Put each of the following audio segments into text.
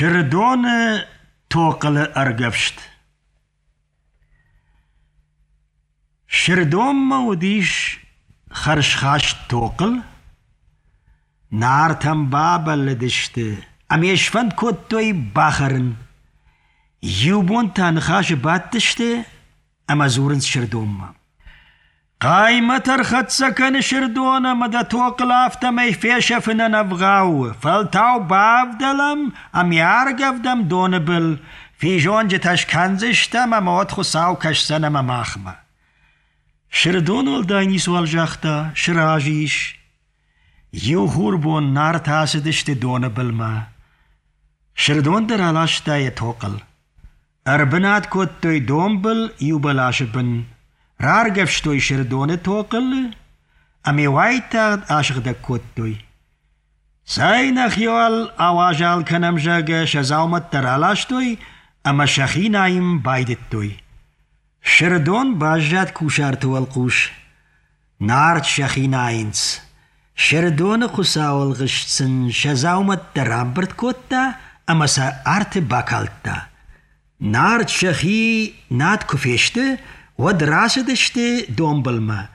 شردون توقل أرقفشت شردون موديش خرشخاشت توقل نار تنبابل دشت أميش فند كوتوي باخرن يوبون تنخاش باتشت أما زورن شردون قايمة ترخت سكن شردون مدى توقل افتمي فيشفنا نفغاو فالتاو بافدلم أم يارقف دم دونبل في جون جتاش كنزشتم أما ودخو ساو كشسن أما ماخمة شردون والدايني سوال جاختا شراجيش يوهور بون نار تاسدشت دونبل ما شردون در علاشتا يتوقل أربنات كوتوي دونبل يوبلاشبن رارقفشتوي شردون توقل أمي وايتا عاشق دا كوتوي ساينا خيوال آواجال كنمجاق شزاومت ترالاشتوي أما شخينايم بايدتوي شردون باجات كوشارتو القوش نارت شخيناينس شردون خساول غشتسن شزاومت ترامبرت كوتا أما سا آرت باكالتا نارت شخي نات كفشته ودراستشته دومبلما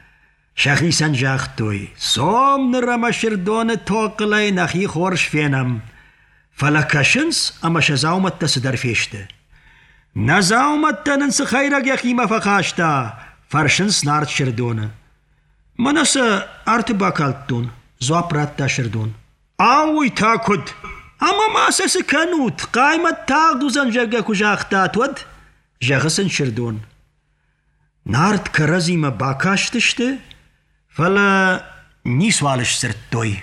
شخي سنجاختوي صوم نرما شردون توقلي نخي خورش فينم فلكشنس أما شزاومت تسدر فيشته نزاومت تننس خيرك يخي ما فقاشتا فرشنس نارت شردون منس أرت باكالتون زوابرات شردون آوي تاكد أما ما سسكنوت قايمة تاغدو زنجاقا كجاختات ود جاغسن شردون نارت كرزي ما باكاشتشته فلا نيسوالش سرتوي